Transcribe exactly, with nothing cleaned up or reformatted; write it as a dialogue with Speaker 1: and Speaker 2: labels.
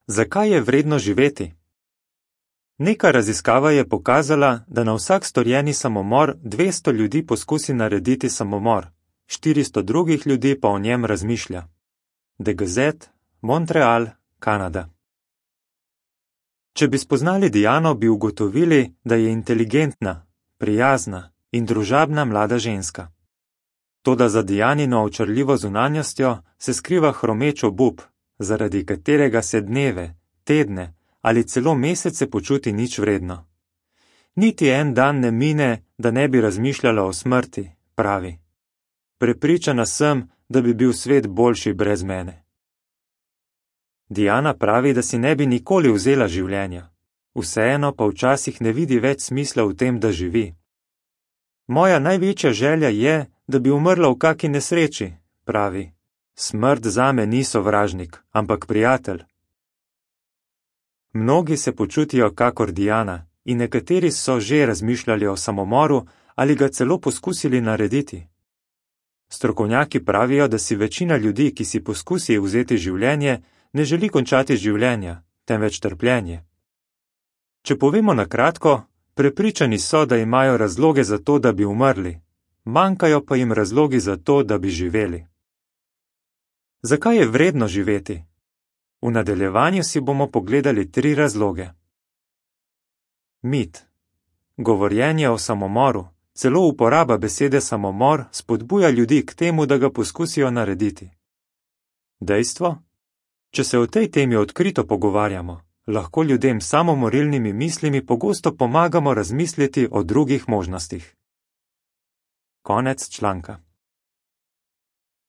Speaker 1: Zakaj je vredno živeti? Neka raziskava je pokazala, da na vsak storjeni samomor dvesto ljudi poskusi narediti samomor, štiristo drugih ljudi pa o njem razmišlja. The Gazette, Montreal, Kanada. Če bi spoznali Diano, bi ugotovili, da je inteligentna, prijazna in družabna mlada ženska. Toda za Dianino očarljivo zunanjostjo se skriva hromeč obup, zaradi katerega se dneve, tedne ali celo mesece počuti nič vredno. Niti en dan ne mine, da ne bi razmišljala o smrti, pravi. Prepričana sem, da bi bil svet boljši brez mene. Diana pravi, da si ne bi nikoli vzela življenja, vseeno pa včasih ne vidi več smisla v tem, da živi. Moja največja želja je, da bi umrla v kaki nesreči, pravi. Smrt zame ni sovražnik, ampak prijatelj. Mnogi se počutijo kakor Diana in nekateri so že razmišljali o samomoru ali ga celo poskusili narediti. Strokovnjaki pravijo, da si večina ljudi, ki si poskusi vzeti življenje, ne želi končati življenja, temveč trpljenje. Če povemo na kratko, prepričani so, da imajo razloge za to, da bi umrli, manjkajo pa jim razlogi za to, da bi živeli. Zakaj je vredno živeti? V nadaljevanju si bomo pogledali tri razloge. Mit. Govorjenje o samomoru, celo uporaba besede samomor spodbuja ljudi k temu, da ga poskusijo narediti. Dejstvo? Če se o tej temi odkrito pogovarjamo, lahko ljudem s samomorilnimi mislimi pogosto pomagamo razmisliti o drugih možnostih. Konec članka.